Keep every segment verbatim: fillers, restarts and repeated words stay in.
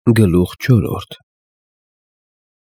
Գլուխ չորրորդ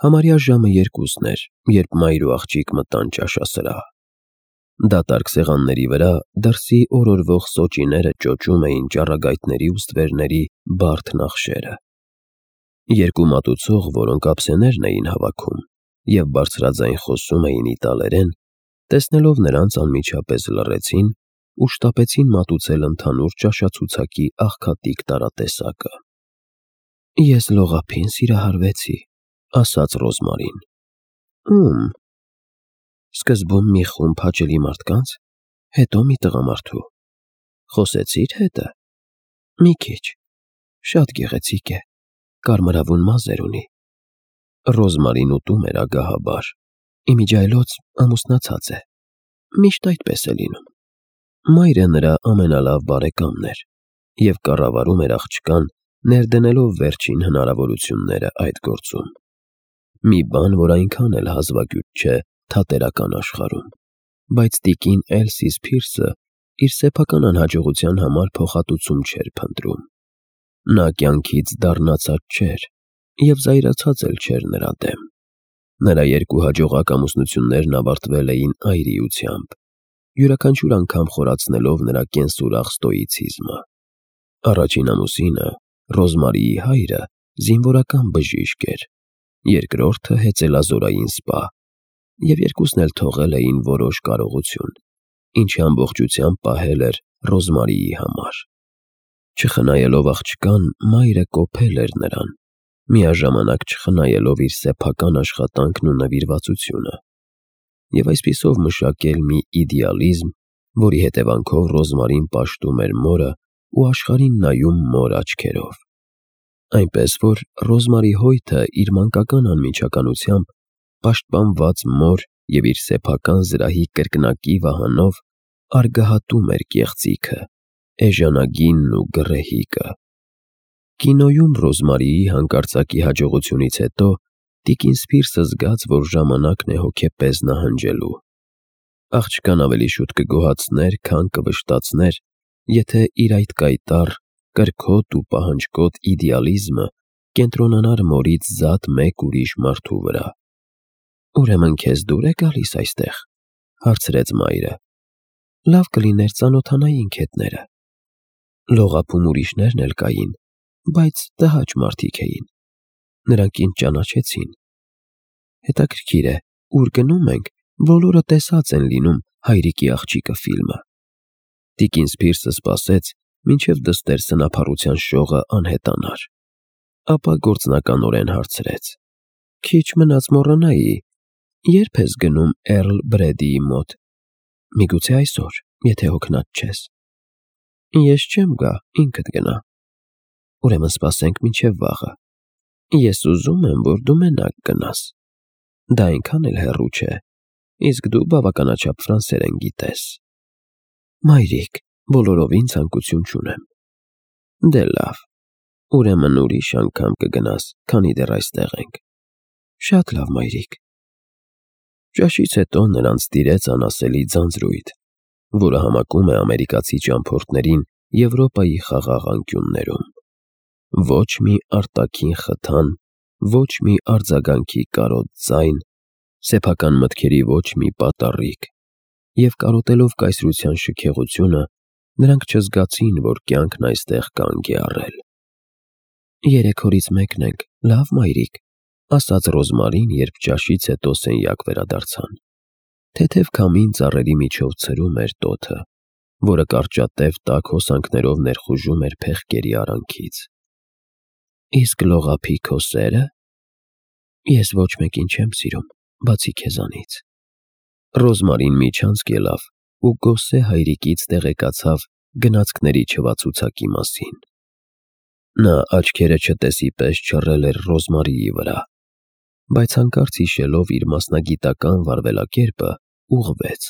Համարյա ժամը երկուսն էր, երբ մայր ու աղջիկ մտան ճաշասրահ։ Դատարկ սեղանների վրա դրսի օրորվող սոճիները ճոճում էին ճառագայթների ու ստվերների բարդ նախշերը։ Երկու մատուցող, որոնք ափսեներն էին հավաքում և բարձրաձայն խոսում էին իտալերեն, տեսնելով նրանց անմիջապես լռեցին ու շտապեցին մատուցել ընդհանուր ճաշացուցակի աղքատիկ տարատեսակը։ «Ես լողափին սիրահարվեցի», ասաց Ռոզմարին։ «Ո՞ւմ»։ «Սկզբում մի խումբ հաճելի մարդկանց, հետո մի տղամարդու»։ «Խոսեցի՞ր հետը»։ «Մի քիչ, շատ գեղեցիկ է, կարմրավուն մազեր ունի»։ Ռոզմարին ուտում էր ագահաբար, իմիջիայլոց ամուսնացած է, միշտ այդպես է լինում։ Մայրը նրա ամենալավ բարեկամն էր և կառավարում էր աղջկան, ներդնելով վերջին հնարավորությունները այդ գործում։ Մի բան, որ այնքան էլ հազվագյուտ չէ թատերական աշխարհում, բայց տիկին Էլսի Սփիրսը իր սեփական անհաջողության համար փոխհատուցում չէր փնտրում։ Նա կյանքից դառնացած չէր և զայրացած էլ չէր նրա դեմ։ Նրա երկու հաջողակ ամուսնություններն ավարտվել էին այրիությամբ, յուրաքանչյուր անգամ խորացնելով նրա կենսուրախ ստոիցիզմը։ Առաջին ամուսինը՝ Ռոզմարիի հայրը, զինվորական բժիշկ էր, երկրորդը՝ հեծելազորային սպա, և երկուսն էլ թողել էին որոշ կարողություն, ինչը ամբողջությամբ պահել էր Ռոզմարիի համար։ Չխնայելով աղջկան, մայրը կոփել էր նրան, միաժամանակ չխնայելով իր սեփական աշխատանքն ու նվիրվածությունը, և այսպիսով մշակել մի իդեալիզմ, որի հետևանքով Ռոզմարին պաշտում էր մորը ու աշխարհին նայում մոր աչքերով։ Այնպես որ Ռոզմարի հոյթը իր մանկական անմիջականությամբ, պաշտպանված մոր և իր սեփական զրահի կրկնակի վահանով, արգահատում էր կեղծիքը, էժանագինն ու գռեհիկը։ Կինոյում Ռոզմարիի հանկարծակի հաջողությունից հետո տիկին Սփիրսը զգաց, որ ժամանակն է հոգեպես նահանջելու։ Աղջկան ավելի շուտ կգոհացներ, քան կվշտացներ, եթե իր այդ կայտառ, կրքոտ ու պահանջկոտ իդեալիզմը կենտրոնանար մորից զատ մեկ ուրիշ մարդու վրա։ «Ուրեմն քեզ դուր է գալիս այստեղ», հարցրեց մայրը։ «Լավ կլիներ ծանոթանայինք հետները»։ Լողափում ուրիշներն էլ կային, բայց տհաճ մարդիկ էին։ Նրանք ինձ ճանաչեցին։ Հետաքրքիր է, ուր գնում ենք, բոլորը տեսած են լինում «Հայրիկի աղջիկը» ֆիլմը։ Տիկին Սփիրսը սպասեց, մինչև դստեր սնափառության շողը անհետանար, ապա գործնականորեն հարցրեց. «Քիչ մնաց մոռանայի, ե՞րբ ես գնում Էռլ Բրեդիի մոտ։ Միգուցե այսօր, եթե հոգնած չես»։ «Ես չեմ գա, ինքդ գնա»։ «Ուրեմն սպասենք մինչև վաղը։ Ես ուզում եմ, որ դու մենակ գնաս։ Դա այնքան էլ հեռու չէ, իսկ դու բավականաչափ ֆրանսերեն գիտես»։ «Մայրիկ, բոլորովին ցանկություն չունեմ»։ «Դե լավ, ուրեմն ուրիշ անգամ կգնաս, քանի դեռ այստեղ ենք»։ «Շատ լավ, մայրիկ»։ Ճաշից հետո նրանց տիրեց անասելի ձանձրույթ, որը համակում է ամերիկացի ճամփորդներին Եվրոպայի խաղաղ անկյուններում։ Ոչ մի արտաքին խթան, ոչ մի արձագանքի կարոտ ձայն, սեփական մտքերի ոչ մի պատառիկ, և կարոտելով կայսրության շքեղությունը, նրանք չզգացին, որ կյանքն այստեղ կանգ է առել։ «Երեք օրից մեկն ենք, լավ մայրիկ», ասաց Ռոզմարին, երբ ճաշից հետո սենյակ վերադարձան։ Թեթև քամին ծառերի միջով ցրում էր տոթը, որը կարճատև տաք հոսանքներով ներխուժում էր փեղկերի արանքից։ «Իսկ լողափի քո սե՞րը»։ «Ես ոչ մեկին չեմ սիրում, բացի քեզանից»։ Ռոզմարին միջանցք ելավ ու գոսե հայրիկից տեղեկացավ գնացքների չվացուցակի մասին։ Նա աչքերը չտեսի պես չռել էր Ռոզմարիի վրա, բայց հանկարծ հիշելով իր մասնագիտական վարվելակերպը, ուղղվեց։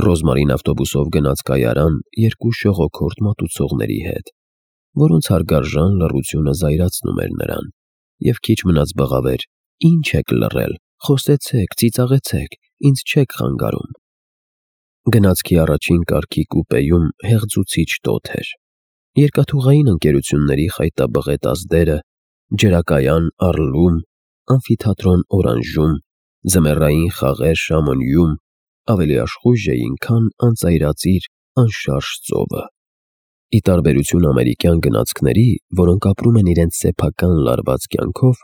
Ռոզմարին ավտոբուսով գնաց կայարան երկու շողոքորթ մատուցողների հետ, որոնց հարգարժան լռությունը զայրացնում էր նրան, և քիչ մնաց բղավեր. «Ինչ եք լռել, խոսեցեք, ծիծաղեցեք, ինձ չեք խանգարում»։ Գնացքի առաջին կարգի կուպեում հեղձուցիչ տոթ էր։ Երկաթուղային ընկերությունների խայտաբղետ ազդերը ջրակայան Արլում, ամֆիթատրոն Օրանժում, ձմեռային խաղեր Շամանյում ավելի աշխույժ էին, քան անծայրածիր, անշարժ ծովը։ Ի տարբերություն ամերիկյան գնացքների, որոնք ապրում են իրենց սեփական լարված կյանքով,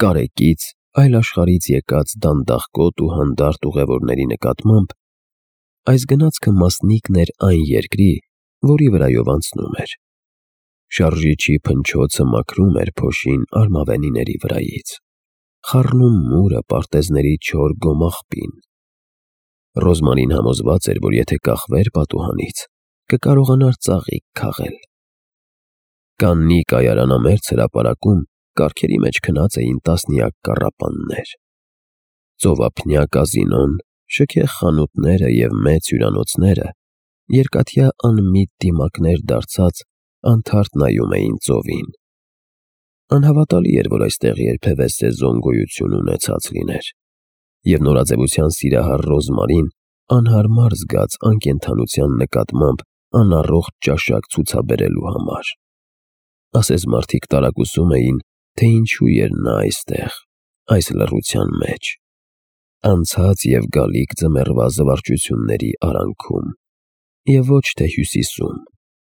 կարեկից, այլ աշխարհից եկած դանդաղկոտ ու հանդարտ ուղևորների նկատմամբ, այս գնացքը մասնիկն էր այն երկրի, որի վրայով անցնում էր։ Շարժիչի փնչոցը մաքրում էր փոշին արմավենիների վրայից, խառնում մուրը պարտեզների չոր գոմաղբին։ Ռոզմանին համոզված էր, որ եթե կախվեր պատուհանից, կկարողանար ծաղիկ քաղել։ Կաննի կայարանամերձ հրապարակում կառքերի մեջ քնած էին տասնյակ կառապաններ։ Ծովափնյա կազինոն, շքեղ խանութները և մեծ հյուրանոցները երկաթյա անմիտ դիմակներ դարձած անթարթ նայում էին ծովին։ Անհավատալի էր, որ այստեղ երբևէ սեզոն գոյություն ունեցած լիներ, և նորաձևության սիրահար Ռոզմարին անհարմար զգաց անկենդանության նկատմամբ անառողջ ճաշակ ցուցաբերելու համար։ Ասես մարդիկ տարակուսում էին, թե ինչու էր նա այստեղ, այս լռության մեջ, անցած և գալիք ձմեռվա զվարճությունների արանքում, և ոչ թե Հյուսիսում,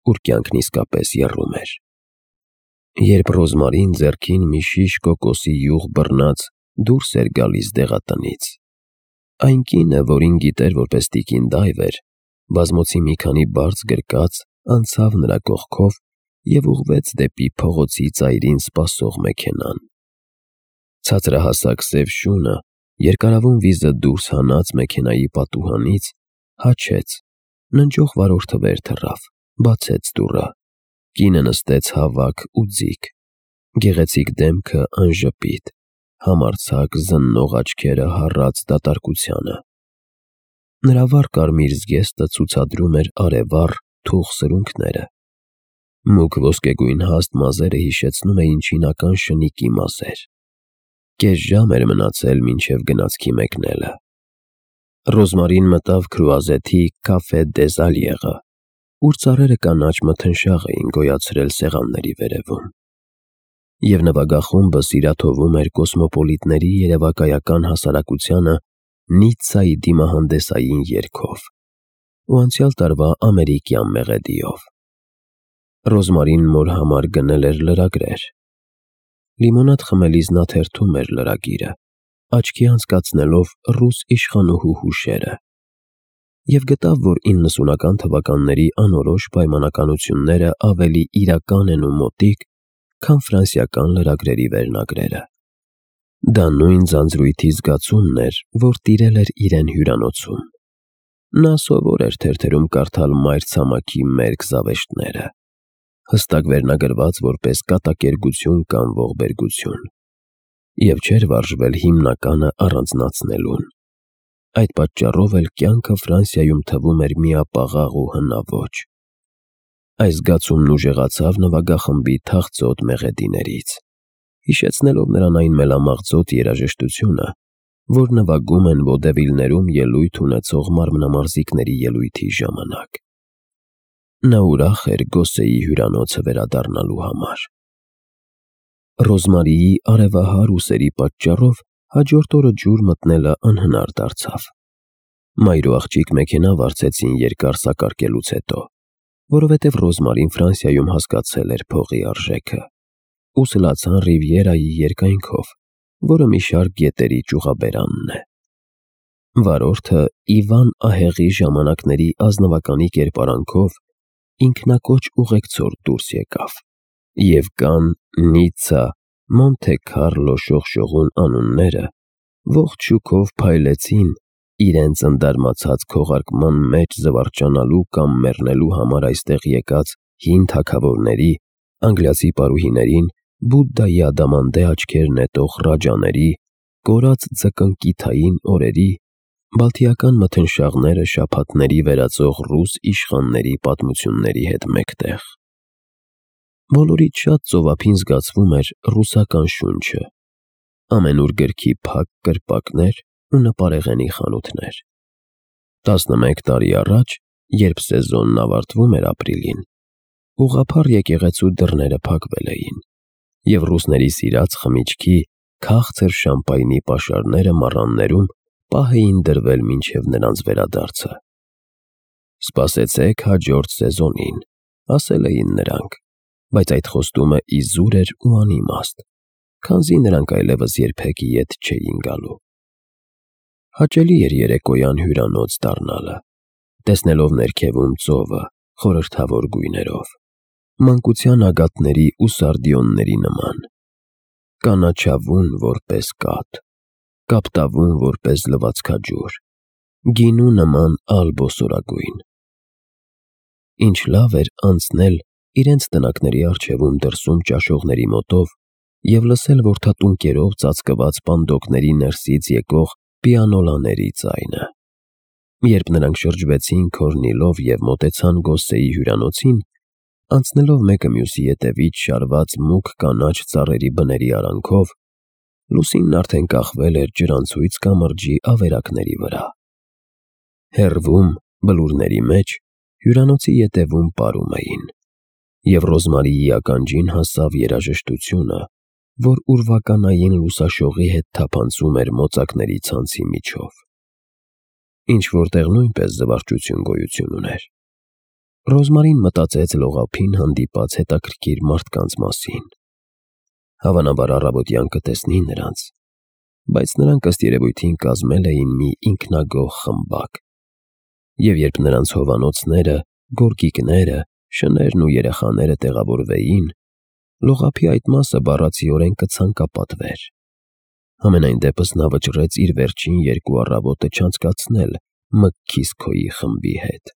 ուր կյանքն իսկապես եռում էր։ Երբ Ռոզմարին ձեռքին մի շիշ կոկոսի յուղ բռնած դուրս էր գալիս դեղատնից, այն կինը, որին գիտեր որպես տիկին դայվ էր, բազմոցի մի քանի բարձ գրկած անցավ նրա կողքով և ուղղվեց դեպի փողոցի ծայրին սպասող մեքենան։ Ցածրահասակ սև շունը երկարավուն վիզը դուրս հանած մեքենայի պատուհանից հաչեց, ննջող վարորդը վեր թռավ, բացեց դուռը։ Կինը նստեց հավաք ու ձիգ, գեղեցիկ դեմքը անժպիտ, համարձակ զննող աչքերը հառած դատարկությանը։ Նրա վառ կարմիր զգեստը ցուցադրում էր արևառ, թուխ սրունքները։ Մուգ ոսկեգույն հաստ մազերը հիշեցնում էին չինական շնիկի մազեր։ Կես ժամ էր մնացել մինչև գնացքի մեկնելը։ Ռոզմարին մտավ քրուազեթի Café des Allieres, ուր ծառերը կանաչ մթնշաղ էին գոյացրել սեղանների վերևում, և նվագախումբը սիրաթովում էր կոսմոպոլիտների երևակայական հասարակությանը Նիցցայի դիմահանդեսային երգով ու անցյալ տարվա ամերիկյան մեղեդիով։ Ռոզմարին մոր համար գնել էր լրագրեր։ Լիմոնադ խմելիս նա թերթում էր լրագիրը, աչքի անցկացնելով ռուս իշխանուհու հուշերը, և գտավ, որ իննսունական թվականների անորոշ պայմանականությունները ավելի իրական են ու մոտիկ, քան ֆրանսիական լրագրերի վերնագրերը։ Դա նույն ձանձրույթի զգացումն էր, որ տիրել էր իրեն հյուրանոցում։ Նա սովոր էր թերթերում կարդալ մայրցամաքի մերկ զավեշտները, հստակ վերնագրված որպես կատակերգություն կամ ողբերգություն, և չէր վարժվել հիմնականը առանձնացնելուն։ Այդ պատճառով էլ կյանքը Ֆրանսիայում թվում էր միապաղաղ ու հնաոճ։ Այս զգացումն ուժեղացավ նվագախմբի թախծոտ մեղեդիներից, հիշեցնելով նրան այն մելամաղձոտ երաժշտությունը, որ նվագում են վոդևիլներում ելույթ ունեցող մարմնամարզիկների ելույթի ժամանակ։ Նա ուրախ էր Գոսեի հյուրանոցը վերադառնալու համար։ Ռոզմարիի արևահար ուսերի պատճառով հաջորդ օրը ջուր մտնելը անհնար դարձավ։ Մայր ու աղջիկ մեքենա վարձեցին երկար սակարկելուց հետո, որովհետև Ռոզմարին Ֆրանսիայում հասկացել էր փողի արժեքը, ու սլացան Ռիվիերայի երկայնքով, որը մի շարք գետերի ճյուղաբերանն է։ Վարորդը Իվան ահեղի ժամանակների ազնվականի կերպարանքով ինքնակոչ ուղեկցորդ դուրս եկավ, և Կանն, Նիցցա, Մոնթե Քառլո շողշողուն անունները ողջ շուքով փայլեցին իրենց ընդարմացած քողարկման մեջ զվարճանալու կամ մեռնելու համար այստեղ եկած հին թագավորների, անգլիացի պարուհիներին, Բուդդայի ադամանդե աչքեր նետող ռաջաների, կորած ձկնկիթային օրերի, բալթիական մթնշաղները շաբաթների վերածող ռուս իշխանների պատմությունների հետ մեկտեղ։ Բոլորից շատ ծովափին զգացվում էր ռուսական շունչը, ամենուր գրքի փակ կրպակներ ու նպարեղենի խանութներ։ Տասնմեկ տարի առաջ, երբ սեզոնն ավարտվում էր ապրիլին, ուղղափառ եկեղեցու դռները փակվել էին, և ռուսների սիրած խմիչքի քաղցր շամպայնի պաշարները մառաններում պահ էին դրվել մինչև նրանց վերադարձը։ «Սպասեցեք հաջորդ սեզոնին», ասել էին նրանք, բայց այդ խոստումը իզուր էր ու անիմաստ, քանզի նրանք այլևս երբեք ետ չէին գալու։ Հաճելի էր երեկոյան հյուրանոց դառնալը, տեսնելով ներքևում ծովը խորհրդավոր գույներով, մանկության ագաթների ու սարդիոնների նման, կանաչավուն որպես կաթ, կապտավուն որպես լվացքաջուր, գինու նման ալ֊բոսորագույն։ Ինչ լավ էր անցնել իրենց տնակների առջևում դրսում ճաշողների մոտով և լսել որդատուն կերով ծածկված պանդոկների ներսից եկող պիանոլաների ձայնը։ Երբ նրանք շրջվեցին Քորնիլով և մոտեցան Գոսսեի հյուրանոցին, անցնելով մեկը մյուսի ետևից շարված մուգ կանաչ ծառերի բների արանքով, լուսինն արդեն կախվել էր ջրանցույց կամրջի ավերակների վրա։ Հեռվում, բլուրների մեջ, հյուրանոցի ետևում պարում էին, և Ռոզմարիի ականջին հասավ երաժշտությունը, որ ուրվականային լուսաշողի հետ թափանցում էր մոծակների ցանցի միջով։ Ինչ-որ տեղ նույնպես զվարճություն գոյություն ուներ։ Ռոզմարին մտածեց լողափին հանդիպած հետաքրքիր մարդկանց մասին։ Հավանաբար առավոտյան կտեսնի նրանց, բայց նրանք ըստ երևույթին կազմել էին մի ինքնագոհ խմբակ, և երբ նրանց հովանոցները, գորգիկները, շներն ու երեխաները տեղավորվեին, լողափի այդ մասը բառացիորեն կցանկապատվեր։ Համենայն դեպս նա վճռեց իր վերջին երկու առավոտը չանցկացնել Մկքիսքոյի խմբի հետ։